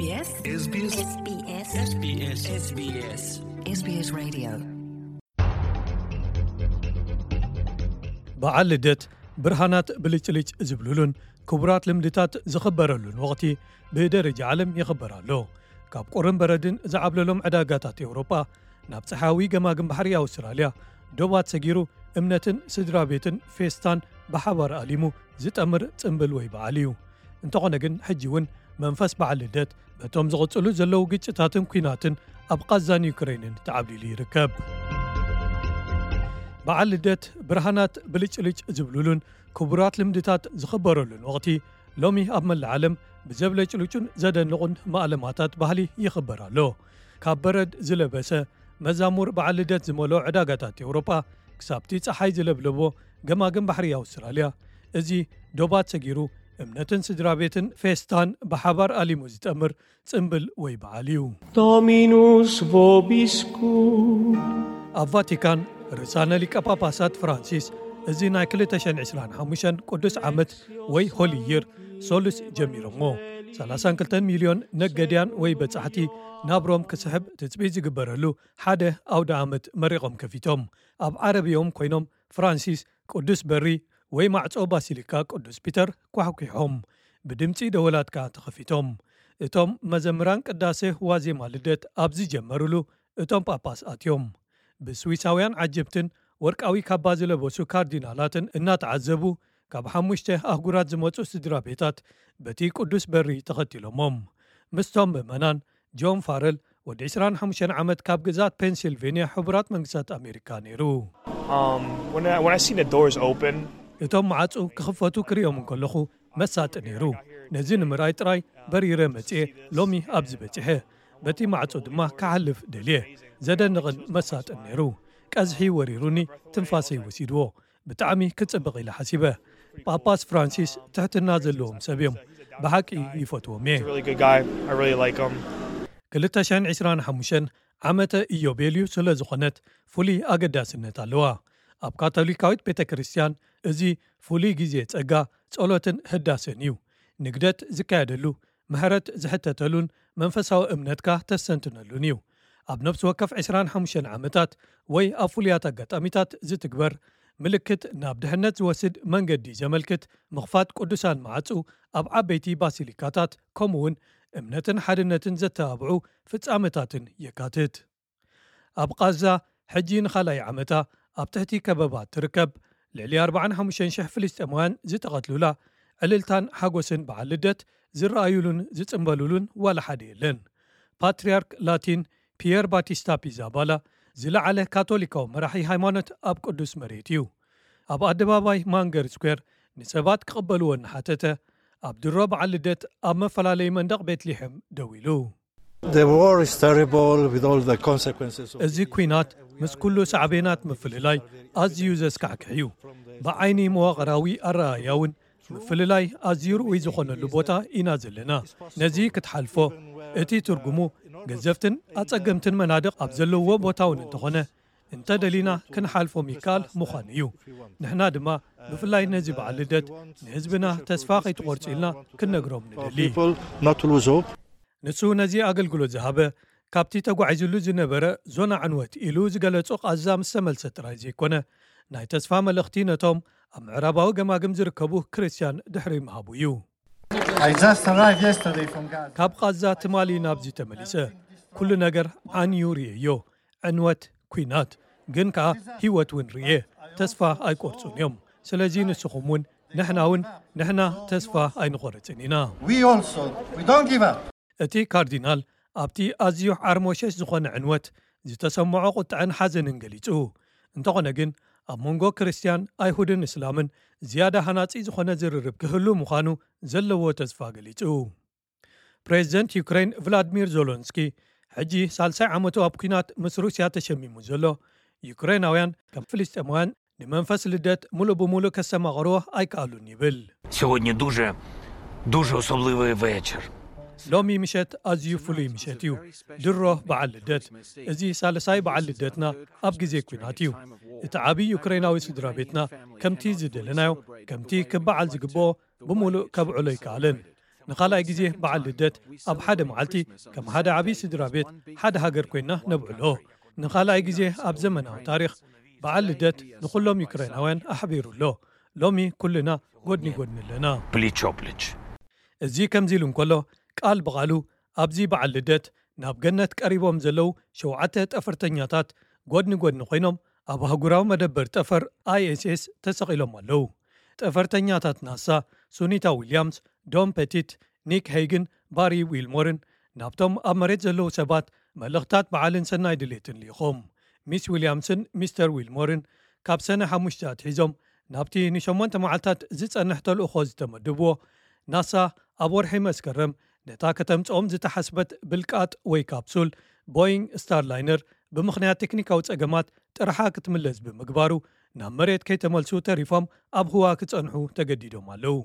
SBS SBS SBS SBS SBS Radio. በዓል ልደት ብርሃናት ብልጭልጭ ዝብሉሉን ክቡራት ልምድታት ዝኽበረሉን ወቕቲ ብደረጃ ዓለም ይኽበር ኣሎ። ካብ ቁርን በረድን ዝዓብለሎም ዕዳጋታት ኤውሮጳ ናብ ጸሓያዊ ገማግም ባሕሪ ኣውስትራልያ፣ ዶባት ሰጊሩ እምነትን ስድራ ቤትን ፌስታን ብሓባር ኣሊሙ ዝጠምር ጽምብል ወይ በዓል እዩ። እንተኾነ ግን ሕጂ እውን መንፈስ በዓል ልደት በቶም ዝቕጽሉ ዘለዉ ግጭታትን ኲናትን ኣብ ቓዛን ዩክሬንን ተዓብሊሉ ይርከብ። በዓል ልደት ብርሃናት ብልጭልጭ ዝብሉሉን ክቡራት ልምድታት ዝኽበረሉን ወቕቲ ሎሚ ኣብ መላእ ዓለም ብዘብለጭልጩን ዘደንቑን ማእለማታት ባህሊ ይኽበር ኣሎ። ካብ በረድ ዝለበሰ መዛሙር በዓል ልደት ዝመልኦ ዕዳጋታት ኤውሮጳ ክሳብቲ ጸሓይ ዝለብለቦ ገማግም ባሕሪ ኣውስትራልያ፣ እዚ ዶባት ሰጊሩ እምነትን ስድራ ቤትን ፌስታን ብሓባር ኣሊሙ ዝጠምር ጽምብል ወይ በዓል እዩ። Dominus vobiscum. ኣብ ቫቲካን ርእሳነ ሊቀ ጳጳሳት ፍራንሲስ እዚ ናይ ክልተ ሽሕን ዕስራን ሓሙሽተን ቅዱስ ዓመት ወይ ሆሊ ይር ሶሉስ ጀሚሮሞ፣ ሰላሳን ክልተን ሚልዮን ነገድያን ወይ በጻሕቲ ናብ ሮም ክስሕብ ትጽቢት ዝግበረሉ ሓደ ኣውደ ዓመት መሪቖም ከፊቶም። ኣብ ዓረብዮም ኮይኖም ፍራንሲስ ቅዱስ በሪ ወይ ማዕጾ ባሲሊካ ቅዱስ ፒተር ኳሕኲሖም፣ ብድምጺ ደወላት ከኣ ተኸፊቶም። እቶም መዘምራን ቅዳሴ ዋዜማ ልደት ኣብ ዝጀመሩሉ እቶም ጳጳስ ኣትዮም። ብስዊሳውያን ዓጀብትን ወርቃዊ ካባ ዝለበሱ ካርዲናላትን እናተዓዘቡ ካብ ሓሙሽተ ኣህጉራት ዝመጹ ስድራ ቤታት በቲ ቅዱስ በሪ ተኸቲሎሞም። ምስቶም ምእመናን ጆን ፋረል ወዲ ዕስራን ሓሙሽተን ዓመት ካብ ግዛት ፔንሲልቬንያ ሕቡራት መንግስታት ኣሜሪካ ነይሩ። Um, when I, when I seen the doors open, እቶም መዓጹ ክኽፈቱ ክርእዮም እንከለኹ መሳጢ ነይሩ። ነዚ ንምርኣይ ጥራይ በሪረ መጽኤ ሎሚ ኣብዚ በጺሐ። በቲ ማዕጾ ድማ ክሓልፍ ደልየ። ዘደንቕን መሳጥን ነይሩ። ቀዝሒ ወሪሩኒ ትንፋሰይ ወሲድዎ። ብጣዕሚ ክጽብቕ ኢለ ሓሲበ። ጳጳስ ፍራንሲስ ትሕትና ዘለዎም ሰብ እዮም። ብሓቂ ይፈትዎም እየ። He's a really good guy. I really like him. ክልተ ሽሕን ዕስራን ሓሙሽተን ዓመተ ኢዮቤልዩ ስለ ዝኾነት ፍሉይ ኣገዳስነት ኣለዋ። ኣብ ካቶሊካዊት ቤተ ክርስቲያን እዚ ፍሉይ ግዜ ጸጋ፣ ጸሎትን ህዳሴን እዩ። ንግደት ዝካየደሉ፣ ምሕረት ዝሕተተሉን መንፈሳዊ እምነትካ ተስተንትነሉን እዩ። ኣብ ነፍሲ ወከፍ ዕስራን ሓሙሽተን ዓመታት ወይ ኣብ ፍሉያት ኣጋጣሚታት ዝትግበር ምልክት ናብ ድሕነት ዝወስድ መንገዲ ዘመልክት ምኽፋት ቅዱሳን መዓጹ ኣብ ዓበይቲ ባሲሊካታት ከምኡ እውን እምነትን ሓድነትን ዘተባብዑ ፍጻመታትን የካትት። ኣብ ቓዛ ሕጂ ንኻልኣይ ዓመታ ኣብ ትሕቲ ከበባ ትርከብ። ልዕሊ ኣርባዓን ሓሙሽተን ሽሕ ፍልስጤማውያን ዝተቐትሉላ፣ ዕልልታን ሓጎስን በዓል ልደት ዝረኣዩሉን ዝጽምበሉሉን ዋላ ሓደ የለን። ፓትርያርክ ላቲን ፒየር ባቲስታ ፒዛባላ ዝለዓለ ካቶሊካዊ መራሒ ሃይማኖት ኣብ ቅዱስ መሬት እዩ። ኣብ ኣደባባይ ማንገር ስኩዌር ንሰባት ክቕበልዎ እናሓተተ፣ ኣብ ድሮ በዓል ልደት ኣብ መፈላለዪ መንደቕ ቤትሊሔም ደው ኢሉ። The war is terrible with all the consequences of እዚ ኲናት ምስ ኩሉ ሳዕቤናት ምፍልላይ ኣዝዩ ዘስካሕክሕ እዩ። ብዓይኒ መዋቕራዊ ኣረኣእያ እውን ምፍልላይ ኣዝዩ ርኡይ ዝኾነሉ ቦታ ኢና ዘለና። ነዚ ክትሓልፎ፣ እቲ ትርጉሙ ገዘፍትን ኣጸገምትን መናድቕ ኣብ ዘለዎ ቦታ እውን እንተኾነ፣ እንተ ደሊና ክንሓልፎም ይከኣል ምዃኑ እዩ። ንሕና ድማ ብፍላይ ነዚ በዓል ልደት ንህዝብና ተስፋ ከይትቖርጹ ኢልና ክንነግሮም ንደሊ። People not to lose hope. ንሱ ነዚ ኣገልግሎት ዝሃበ ካብቲ ተጓዒዙሉ ዝነበረ ዞና ዕንወት ኢሉ ዝገለጾ ቓዛ ምስ ተመልሰ ጥራይ ዘይኮነ፣ ናይ ተስፋ መልእኽቲ ነቶም ኣብ ምዕራባዊ ገማግም ዝርከቡ ክርስትያን ድሕሪ ምሃቡ እዩ። I just arrived yesterday from Gaza. ካብ ቓዛ ትማሊ ናብዚ ተመሊሰ። ኩሉ ነገር ዓንዩ ርእየዮ። ዕንወት፣ ኲናት፣ ግን ከኣ ህይወት እውን ርእየ። ተስፋ ኣይቆርጹን እዮም። ስለዚ ንስኹም እውን ንሕና እውን ንሕና ተስፋ ኣይንቖርጽን ኢና። We also, we don't give up. እቲ ካርዲናል ኣብቲ ኣዝዩ ዓርሞሸሽ ዝኾነ ዕንወት ዝተሰምዖ ቁጥዐን ሓዘንን ገሊጹ። እንተኾነ ግን ኣብ መንጎ ክርስትያን፣ ኣይሁድን እስላምን ዝያዳ ሃናጺ ዝኾነ ዝርርብ ክህሉ ምዃኑ ዘለዎ ተስፋ ገሊጹ። ፕሬዚደንት ዩክሬን ቭላድሚር ዞሎንስኪ ሕጂ ሳልሳይ ዓመቱ ኣብ ኲናት ምስ ሩስያ ተሸሚሙ ዘሎ፣ ዩክሬናውያን ከም ፍልስጤማውያን ንመንፈስ ልደት ሙሉእ ብሙሉእ ከስተማቕርዎ ኣይከኣሉን ይብል። Сьогодні дуже, дуже особливий вечір. ሎሚ ምሸት ኣዝዩ ፍሉይ ምሸት እዩ። ድሮ በዓል ልደት። እዚ ሳልሳይ በዓል ልደትና ኣብ ግዜ ኲናት እዩ። እቲ ዓብዪ ዩክሬናዊ ስድራ ቤትና ከምቲ ዝደለናዮ፣ ከምቲ ክበዓል ዝግብኦ ብምሉእ ከብዕሎ ኣይከኣለን። ንኻልኣይ ግዜ በዓል ልደት ኣብ ሓደ መዓልቲ ከም ሓደ ዓብዪ ስድራ ቤት ሓደ ሃገር ኮይና ነብዕሎ። ንኻልኣይ ግዜ ኣብ ዘመናዊ ታሪኽ በዓል ልደት ንኹሎም ዩክሬናውያን ኣሕቢሩ ኣሎ። ሎሚ ኩልና ጎድኒ ጎድኒ ኣለና። Плечо плечо. እዚ ከምዚ ኢሉ እንከሎ፣ ቃል ብቓሉ ኣብዚ በዓል ልደት ናብ ገነት ቀሪቦም ዘለዉ ሸውዓተ ጠፈርተኛታት ጎድኒ ጎድኒ ኮይኖም ኣብ ኣህጉራዊ መደበር ጠፈር ኣይኤስኤስ ተሰቒሎም ኣለዉ። ጠፈርተኛታት ናሳ ሱኒታ ዊልያምስ፣ ዶም ፔቲት፣ ኒክ ሄይግን ባሪ ዊልሞርን ናብቶም ኣብ መሬት ዘለዉ ሰባት መልእኽታት በዓልን ሰናይ ድሌትን ልኢኾም። ሚስ ዊልያምስን ሚስተር ዊልሞርን ካብ ሰነ ሓሙሽተ ኣትሒዞም ናብቲ ንሸሞንተ መዓልታት ዝጸንሕ ተልእኾ ዝተመድብዎ ናሳ ኣብ ወርሒ መስከረም ነታ ከተምጽኦም ዝተሓስበት ብልቃጥ ወይ ካፕሱል ቦይንግ ስታርላይነር ብምኽንያት ቴክኒካዊ ጸገማት ጥርሓ ክትምለስ ብምግባሩ ናብ መሬት ከይተመልሱ ተሪፎም ኣብ ህዋ ክጸንሑ ተገዲዶም ኣለዉ።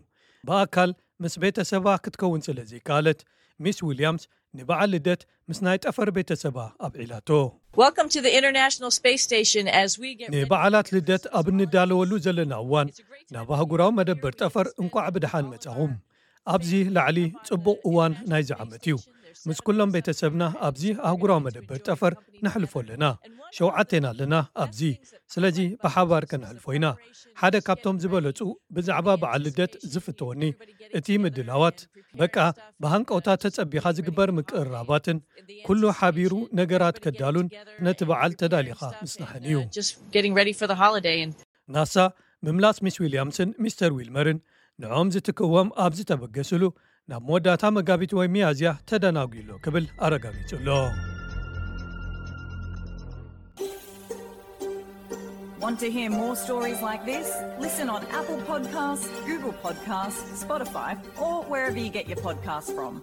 ብኣካል ምስ ቤተሰባ ክትከውን ስለ ዘይከኣለት፣ ሚስ ዊልያምስ ንበዓል ልደት ምስ ናይ ጠፈር ቤተሰባ ኣብዒላቶ። Welcome to the International Space Station as we get ready ንበዓላት ልደት ኣብ እንዳለወሉ ዘለና እዋን ናብ ኣህጉራዊ መደበር ጠፈር እንቋዕ ብደሓን መጻኹም። ኣብዚ ላዕሊ ጽቡቕ እዋን ናይዚ ዓመት እዩ። ምስ ኩሎም ቤተሰብና ኣብዚ ኣህጉራዊ መደበር ጠፈር ነሕልፎ ኣለና። ሸውዓቴና ኣለና ኣብዚ። ስለዚ ብሓባር ከነሕልፎ ኢና። ሓደ ካብቶም ዝበለጹ ብዛዕባ በዓል ልደት ዝፍተወኒ እቲ ምድላዋት፣ በቃ ብሃንቀውታ ተጸቢኻ ዝግበር ምቅርራባትን ኩሉ ሓቢሩ ነገራት ከዳሉን ነቲ በዓል ተዳሊኻ ምጽናሕን እዩ። Just getting ready for the holiday and ናሳ ምምላስ ሚስ ዊልያምስን ሚስተር ዊልመርን ንዕኦም ዝትክእዎም ኣብ ዝተበገስሉ ናብ መወዳእታ መጋቢት ወይ ሚያዝያ ተደናጒ ኣሎ ክብል ኣረጋጊጹ ኣሎ። Want to hear more stories like this? Listen on Apple Podcasts, Google Podcasts, Spotify, or wherever you get your podcasts from.